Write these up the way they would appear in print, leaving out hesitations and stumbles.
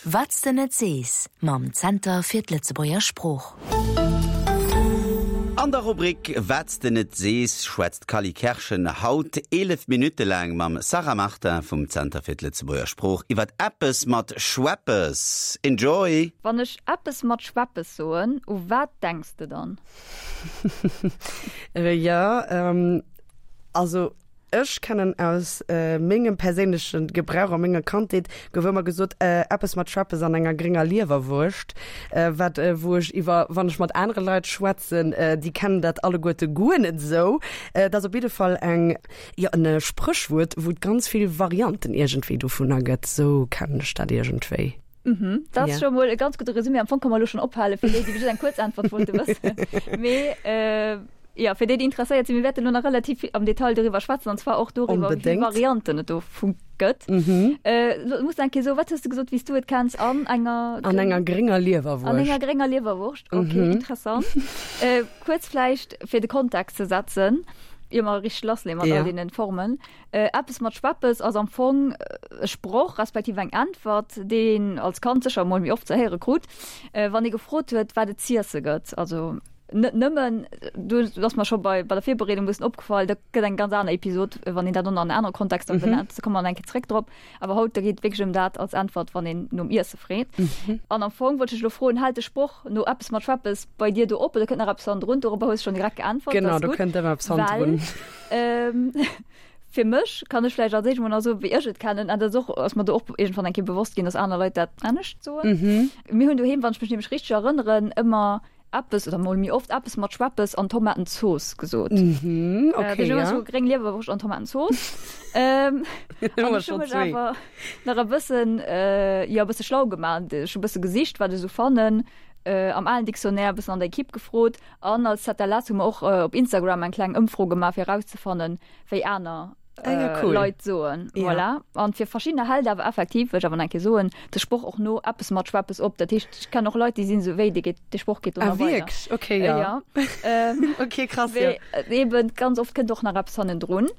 Wat s de net sees mam Zenter fir d'Lëtzebuerger Sprooch. An der Rubrik Wat s de net sees schwätzt d'Cally Kerschen haut 11 Minutte laang mam Sarah Martin vum Zenter fir d'Lëtzebuerger Sprooch iwwert eppes mat Schweppes. Enjoy! Wann ech eppes mat Schweppes soen, u wat denks de dann? Jo, also Ech kennen aus mengem perséinleche Gebrauch a menger Kandheet gouf ëmmer gesot, eppes mat Schweppes an enger grénger Liewerwurscht, wat wou ech iwwer, wann ech mat anere Leit schwätzen, déi kennen dat alleguerte guer net esou. Et ass op jidde Fall eng, jo, en Spréchwuert, wou et ganz vill Varianten iergendwéi dovunner gëtt, esou kennen ech dat iergendwéi. Mhm, dat ass scho mol e ganz gudde Resumé. Am Fong ka mer elo schonn ophale fir déi, déi just eng kuerz Äntwert wollte wëssen. Mee jo, fir déi, déi interesséiert sinn, mir wäerten elo nach relativ vill am Detail doriwwer schwätzen, an zwar och doriwwer, wéi vill Varianten et dovu gëtt. Lo muss eng Kéier soen, wat hues de gesot, wéi s du et kenns? An enger. An enger grénger Liewerwurscht. An enger grénger Liewerwurscht, okay, interessant. Kuerz vläicht, fir de Kontext ze setzen, ier mer richteg lassleeën mat all deenen Formen. Eppes mat Schweppes ass am Fong e Sproch, respektiv eng Äntwert, déi een als Kand sécher emol méi oft ze héiere krut, wann ee gefrot huet, wat et z'iesse gëtt. Also net nëmmen, do ass mer scho bei der Virbereedung e bëssen opgefall, dat gëtt eng ganz aner Episod, wann een dat och nach an anere Kontexter benennt, da komme mer nach eng Kéier zréck drop. Awer haut, da geet et wierklech ëm dat als Äntwert, wann een nom Iesse freet. An am Fong wollt ech dech elo froen, Hält de Sproch no eppes mat Schweppes bei dir do op oder kënnt nach eppes hannendrun? Dorobber hues de schonn direkt geäntwert, dat ass gutt. Genau, do kënnt ëmmer eppes hannendrun. Well fir mech kann ech vläicht als éischt mol nach soen, wéi ech et kennen, an dat ass och, ass mer do och iergendwann eng Kéier bewosst ginn, dass aner Leit dat anescht soen. Mir hunn doheem, wann ech mech nämlech richteg erënneren, ëmmer eppes, oder mol méi oft eppes mat Schweppes an Tomatenzooss gesot. Mhm, okay, äh, ja. So gréng Liewerwurscht an Tomatenzooss. ähm, an ech hu mech awer nach e bëssen, äh, jo, e bësse schlau gemaach. Ech hu e bësse gesicht, wat ech esou fannen. Äh, am alen Dictionnaire, e bëssen an der Equipe gefrot. An als ZLS hu mer och op Instagram eng kleng Ëmfro gemaach, fir erauszefannen, wéi aner ah, ja, cool. Leit soen. Ja. Voilà. An fir verschiddener hält awer effektiv, wëll ech awer nach eng Kéier soen, de Sproch och no eppes mat Schweppes op. Dat heescht, ech kennen och Leit, déi sinn esou wéi, dee geet, de Sproch geet do ah, nach weider. Wierklech? Okay, ja. Äh, ja. Ähm, okay, krass, wéi, ja. Eben, ganz oft kënnt och nach eppes hannendrun.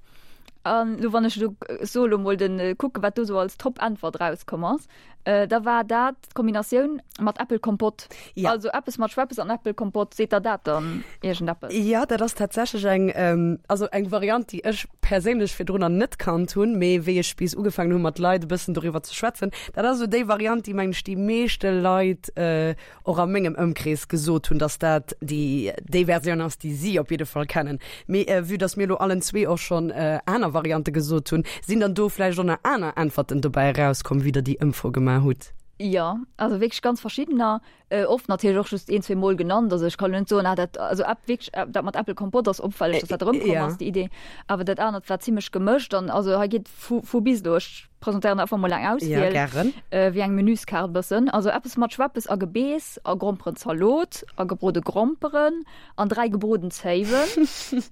An lo wann ech lo so lo mol den kucke wat do so als Top-Äntwert rauskomm ass, äh, da war dat d'Kombinatioun mat Äppelkompott. Ja. Also eppes mat Schweppes an Äppelkompott, seet der dat dann iergendeppes? Ja, dat ass tatsächlech eng, ähm, also eng Variant, déi ech perséinlech virdrunner net kannt hunn, mee wéi ech bis ugefaangen hunn, mat Leit e bëssen doriwwer ze schwätzen, dat ass esou déi Variant, déi, mengen ech, déi meeschte Leit, äh, och a mengem Ëmkrees gesot hunn, dass dat déi déi Versioun ass, déi si op jidde Fall kennen. Mee vue dass mir elo allen zwee och schonn aner Variante gesot hunn, sinn dann do vläicht och nach aner Äntwerten dobäi erauskomm, wéi Der déi Ëmfro gemaach hutt? Jo, also wierklech ganz verschiddener. Oft natierlech och just een, zwee Mol genannt. Also ech kann elo net soen, ah dat, also Äpp wierklech dat mat Äppelkompott ass opfälleg, dass dat erëmkomm ass, déi Idee. Awer dat anert war zimmlech gemëscht an also hei geet vu vu bis elo. Ech presentéieren einfach mol eng Auswiel. Ja, gären. Äh, wéi eng Menüskaart e bëssen. Also eppes mat Schweppes a Gebeess a Gromperenzalot a gebrode Gromperen an 3 gebroden Zéiwen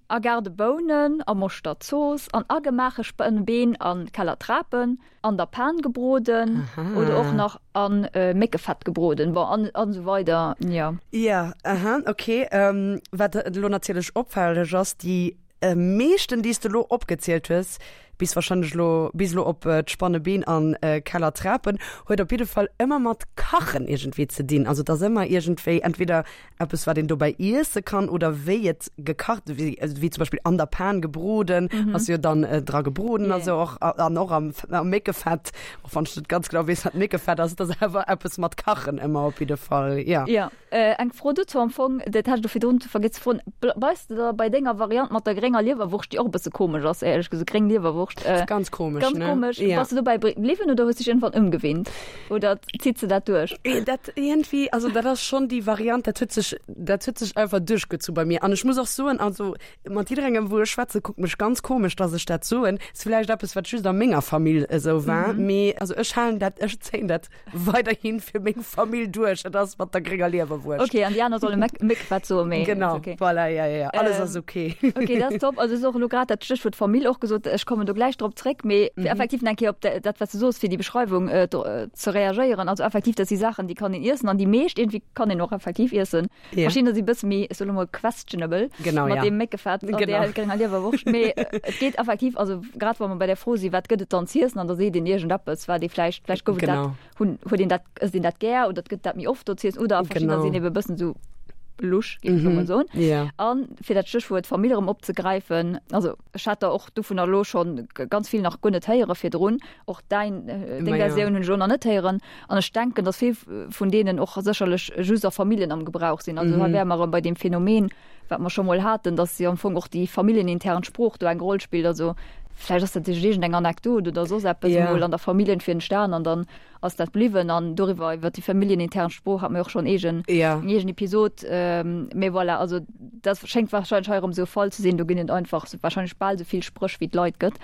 a Gaardebounen a Moschterzooss an agemaache Spënnbeen a Kellertrapen an der Pan gebroden Aha. oder och nach an äh, Méckefett gebroden. Bon, an, an esou weider, ja. Ja, aha, okay. Ähm, wat elo natierlech opfälleg ass, déi Meeschten déi s de elo opgezielt hues, bis wahrscheinlech elo bis elo op d'Spannebeen an Keller Trapen, huet op jidde Fall ëmmer mat Kachen iergendwéi ze dinn. Also et ass ëmmer iergendwéi entweder eppes wat een dobäi iesse kann oder wéi et gekacht, wéi wéi zum Beispill an der Pan gebroden, ass jo dann dra gebroden a sou och an och am am Méckefett, och wann ech net ganz genau weess wat Méckefett ass, et ass awer eppes mat Kachen ëmmer op jidde Fall, jo. Eng Fro dozou am Fong, dat hat ech do virdrun vergiess ze froen, Bleifs de da bei denger Variant mat der grénger Liewerwurscht, déi och e bësse komesch ass, éierlech gesot, gréng Liewerwurscht? Ass ganz komesch, ne? Ganz komesch. Ja. Bass de dobäi bliwwen oder hues dech iergendwann ëmgewinnt? Oder zitt se dat duerch? Dat iergendwéi, also dat ass schonn déi Variant, dat huet sech, dat huet sech einfach duerchgezu bei mir. An ech muss och soen, also mat jidderengem, wou ech schwätze, kuckt mech ganz komesch, dass ech dat soen. Ass villäicht eppes, wat just a menger Famill esou war, mee also ech halen dat, ech zéien dat weiderhin fir meng Famill duerch. Et ass mat der grénger Liewerwurscht. Okay, an déi aner solle Méck Méckefett soen, mee Genau, okay. voilà, ja, ja, ja. Alles ähm, ass okay. Okay, dat ass top. Also ass och elo grad dat Stéchwuert Famill och gesot. Ech kommen do. do gläich drop zréck, mee fir effektiv nach eng Kéier op dat, wat s de soos, fir déi Beschreiwung ze reagéieren. Also effektiv, dat si Saachen, déi kann een iessen an déi meescht iergendwéi kann een och effektiv iessen. Ja. Verschiddener si bësse méi, ech soe lo mol questionable Genau, mat ja. deem Méckefett an Genau. där grénger Liewerwurscht. Mee et geet effektiv, also grad wa mer bei där Fro si, wat gëtt et dann z'iessen, an da seet een iergendeppes, wat ee vläicht, vläicht gouf et dat, Genau. hunn, huet een dat, ësst een dat gär oder et gëtt dat méi oft do z'iessen oder verschiddener Genau. sinn ebe bëssen esou lusch, géif ech lo mol soen. Ja. An fir dat Stéchwuert Famill erëm opzegräifen, also ech hat der och dovunner elo schonn ganz vill nach guer net héiere virdrun, och däin, deng Ma ja. Versioun hunn ech elo nach net héieren. An ech denken, datt vill vun deenen och sécherlech just a Familljen am Gebrauch sinn. Also hei wäre mer erëm bei deem Phänomen, wat mer scho mol haten, datt jo am Fong och déi familljenintern Sprooch do eng Roll spillt. Also vläicht ass dat duerch iergendeng Anekdot oder soss eppes Ja. emol an der Famill iergendwéi entstan an dann ass dat bliwwen. An doriwwer, iwwer déi familljenintern Sprooch, hate mer jo och schonn eegen, Ja. eng eegen Episod. Mee voilà, also dat schéngt warscheinlech hei erëm esou e Fall ze sinn. Do ginn et einfach warscheinlech bal esou vill Spréch wéi et Leit gëtt.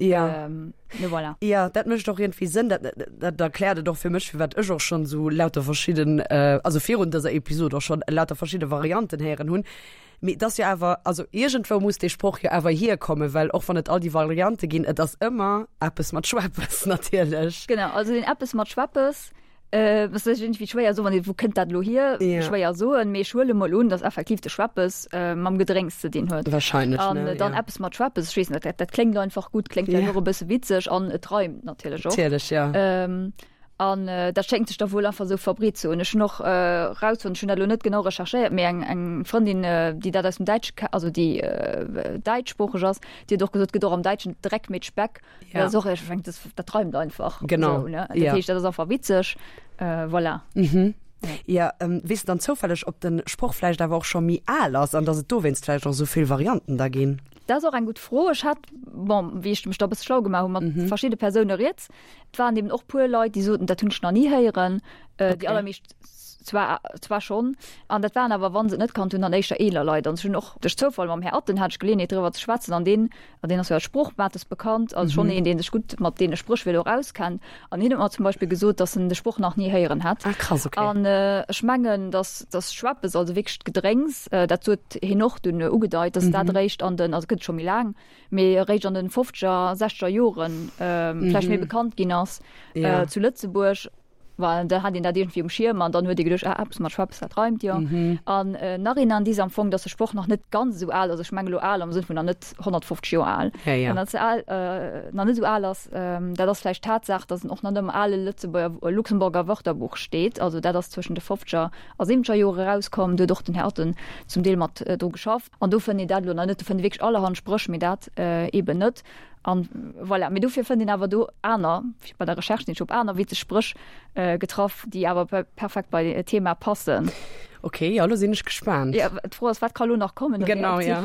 Ja. Mee voilà. Ja, dat mécht och iergendwéi Sënn. Dat, dat erkläert et och fir mech, firwat ech och schonn esou lauter verschidden, also virun dëser Episod och schonn lauter verschidde Varianten héieren hunn. Mee et ass jo awer, also iergendwou muss dee Sproch jo awer hierkommen, well och wann et all déi Variante ginn, et ass ëmmer eppes mat Schweppes natierlech. Genau, also deen eppes mat Schweppes, Äh, ass iergendwéi schwéier soen, wann ee wou kënnt dat elo hier? Ja. Schwéier soen, mee ech huele mol un, datt effektiv de Schweppes äh, mam Gedrénks ze dinn huet. Wahrscheinlech, An ne? äh, dann Ja. eppes mat Schweppes, ech weess net, dat, dat kléngt einfach gutt, kléngt vläicht Ja. och e bësse witzeg an et reimt natierlech och. Natierlech, ja. Ähm, an äh, dat schéngt sech da wuel einfach esou verbreet ze hunn. Ech hunn och äh, rausfonnt, ech hunn dat elo net genau recherchéiert, mee eng, eng Frëndin, äh, déi dat aus dem Däitsche ke-, also déi äh, däitschsproocheg ass, déi huet och gesot, et gëtt och am Däitschen Dreck mit Speck. Ja. Dat ass och, ech mengen, das, dat reimt einfach. Genau. So, ne? Dat Ja. heescht, dat ass einfach witzeg. Äh, voilà. Mhm. Ja, ähm, weess de dann zoufälleg, ob den Sproch vläicht awer och scho méi al ass an dass et dowéinst vläicht och esou vill Varianten da ginn? Dat ass och eng gutt Fro. Ech hat, bon, wéi ech mech da e bësse schlau gemaach hu mat Mhm. verschidde Persoune rieds, et waren eben och puer Leit, déi soten, dat hunn ech nach ni héieren. Äh, Déi Okay. allermeescht zwar, zwar schonn. An dat waren awer, wa se et net kannt hunn, dann éischter eeler Leit. An ech hunn och duerch Zoufall mam Här Atten hat ech Geleeënheet driwwer ze schwätzen an deen An deen ass jo als Sproochmates bekannt, also schonn een, dee sech gutt mat deene Spréchwierder och auskennt. An hien huet mer zum Beispill gesot, datt en de Sproch nach ni héieren hätt. Ah krass, okay. An ech mengen, datt datt Schweppes, also wierklech d'Gedrénks, dat huet hien och dunn ugedeit, datt dat eréischt an den, also gëtt et scho méi laang, mee eréischt an den fofzeger, sechzeger Joren vläicht méi bekannt ginn ass zu Lëtzebuerg. Well da hat een dat iergendwéi um Schierm an dann huet ee geduecht, ah, eppes mat Schweppes, dat reimt jo. An nach een Indice am Fong, dass de Sproch nach net ganz esou al ass, ech mengen elo al am Sënn vun nach net 150 Joer al, Ja, ja. nach ze al, nach net esou al ass, dat ass vläicht d'Tatsaach, dass en och nach net am ale Lëtzebuerger, Luxemburger Wörterbuch steet. Also dat ass zwëschen de fofzeger a siwwenzeger Jore erauskomm, do huet och den Här Atten zum Deel mat dru geschafft. An do fënnt een dat elo nach net, do fënnt ee wierklech allerhand Spréch, mee dat eeben net. An voilà, mee dofir fënnt een awer do aner, bei der Recherche sinn ech op aner witzeg Spréch getraff, déi awer perfekt bei d'Thema passen. Ok, jo, lo sinn ech gespaant. Ja, d'Fro ass, wat ka lo nach kommen? Genau, ja.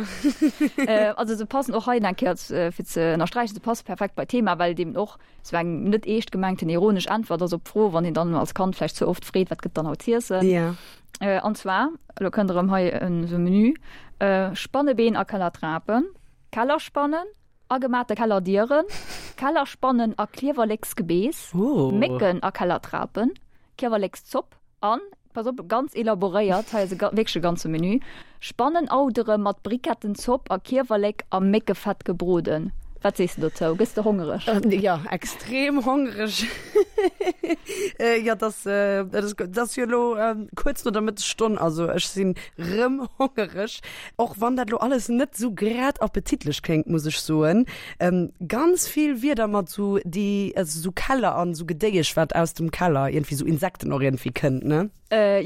Also se passen och hei eng Kéier, fir ze ënnersträichen, se passe perfekt bei d'Thema, well et eben och sou eng net eescht gemengten ironesch Äntwert ass op d'Fro, wann een dann als Kand vläicht ze oft freet, wat gëtt dann haut z'iessen? Ja. An zwar, elo kënnt erëm hei esou e Menü, Spannebeen a Kellertrapen. Kellerspannen, agemate Kellerdieren, Kellerspannen a Kliewerleksgebeess, Mécken a Kellertrapen, Kiewerlekszopp an, pass op, ganz elaboréiert, hei ass e wierklech e ganze Menü, Spannenoudere mat Brikettenzopp a Kiewerlek a Méckefett gebroden. Wat sees de dozou? Gëss de hongereg? Jo, extrem hongereg. Jo, dat ass, dat ass jo elo kuerz no der Mëttesstonn, also ech sinn rëm hongereg. Och wann dat lo alles net sou grad appetitlech kléngt, muss ech soen. Ganz vill Wierder mat sou déi, also sou Keller an sou Gedéiesch wat aus dem Keller, iergendwéi sou Insekten och iergendwéi kënnt, ne?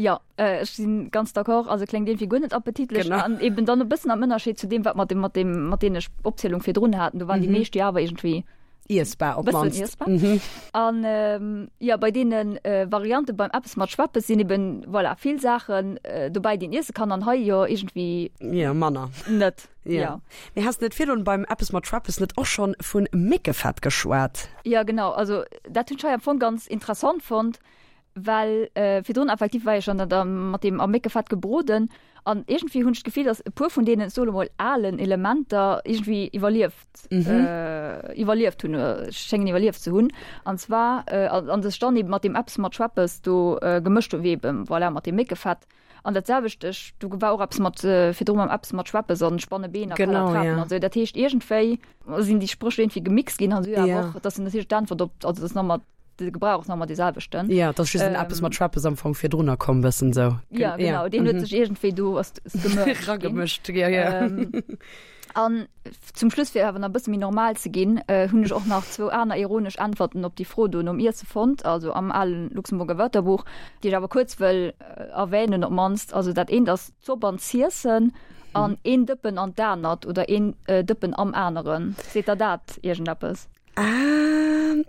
Jo, ech si ganz d'accord. Also kléngt iergendwéi guer net appetitlech. Genau. An eben dann e bëssen am Ënnerscheed zu deem, wat mer mat deem, mat deene Opzielung virdrun haten. Do waren déi meescht jo awer iergendwéi. Iessbar op Bëssen mannst. iessbar. An jo, bei deene Variante beim eppes mat Schweppes sinn eben, voilà, vill Saachen dobäi, déi een iesse kann, an hei jo iergendwéi. Jo, manner. Net, Jo. jo. Mee has de net virdrun beim eppes mat Schweppes net och schonn vun Méckefett geschwat? Jo, genau. Also dat hunn ech hei am Fong ganz interessant fonnt, Well virdrun effektiv war jo schon dat mat deem am Méckefett gebroden. An iergendwéi hunn ech d'Gefill, datt e puer vun deenen, ech soe lo mol, alen Elementer iergendwéi iwwerlieft, iwwerlieft hunn, schéngen iwwerlieft ze hunn. An zwar, an sech dann eeben mat deem eppes mat Schweppes do gemëscht hunn, wéi eeben, voilà, mat deem Méckefett. An dat selwecht, ech, do war och eppes mat, virdru mam eppes mat Schweppes an Spannebeen a Genau, Kellertrapen ja. an esou. Dat heescht, iergendwéi sinn déi Spréch iergendwéi gemixt ginn an esou awer Ja. och, dass natierlech d'Äntwert op, also dass nach mat, de Gebrauch ass nach ëmmer dee selwechten. Ja, et ass just en eppes mat Schweppes am Fong virdrunner komm, bëssen esou. Ja, genau, deen huet sech iergendwéi do ass gemëscht ginn. Ragemëscht, ja, ja. An zum Schluss, fir awer nach e bësse méi normal ze ginn, hunn ech och nach zwou aner ironesch Äntwerten op déi Fro do nom Iesse fonnt, also am ale Luxemburger Wörterbuch, déi ech awer kuerz wëll erwänen op d'mannst. Also dat eent ass d'Zopp an d'Ziessen an een Dëppen an d'anert oder een Dëppen am aneren. Seet der dat iergendeppes? Ah,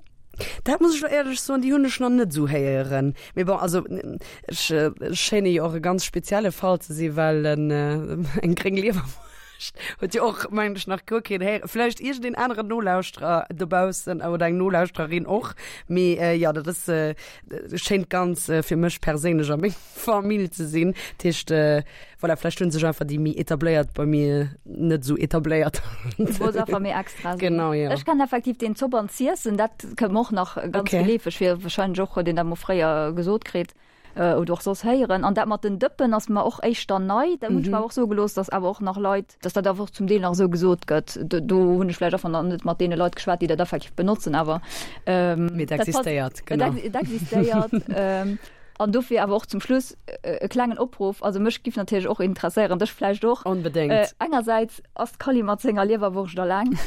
dat muss ech lo éierlech soen, déi hunn ech nach net esou héieren. Mee bon, also ech schéine jo och e ganz spezielle Fall ze si well en eng gréng Liewerwurscht huet jo och, mengen ech, nach guer keen héieren. Vläicht iergendeen aneren Nolauschterer dobaussen oder eng Nolauschtererin och. Mee jo, dat ass, schéint ganz fir mech perséinlech a meng Famill ze sinn. Dat heescht, voilà, vläicht hunn sech einfach déi méi etabléiert bei mir net esou etabléiert. Du wolls einfach méi extra sinn. Genau, jo. Ech kennen effektiv deen Zopp an z'iessen, dat kënnt mer och nach ganz Okay. geleefeg vir, wahrscheinlech och huet een dat mol fréier gesot kritt oder och soss héieren. An dat mat den Dëppen ass mer och éischter nei, dat hunn ech mer awer och soe gelooss, datt awer och nach Leit, datt dat awer och zum Deel nach esou gesot gëtt. Do, do hunn ech vläicht einfach nach net mat deene Leit geschwat, déi dat effektiv benotzen, awer Mee et dat passt, existéiert, et genau. et existéiert. An dofir awer och zum Schluss e klengen Opruff, also mech giff natierlech och interesséieren, dech vläicht och. Onbedéngt. Engersäits ass d'Kally mat senger Liewerwurscht alleng.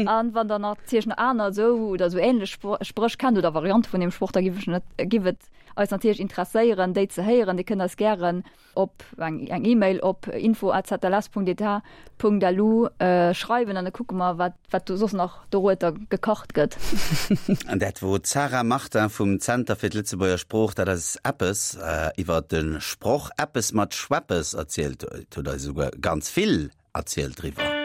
An wann der natierlech nach aner esou oder esou ähnlech Spréch kennt oder Variante vun deem Sproch, da giff ech net, giff et eis natierlech interesséieren déi ze héieren. Dir kënnt eis gären op eng eng E-Mail op info@zls.etat.lu schreiwen an da kucke mer wat wat do soss nach dorueter gekacht gëtt. An dat wor d'Sarah Martin vum Zenter fir d'Lëtzebuerger Sprooch, dat eis eppes iwwer de Sproch Eppes mat Schweppes erzielt huet, huet eis esouguer ganz vill erzielt driwwer.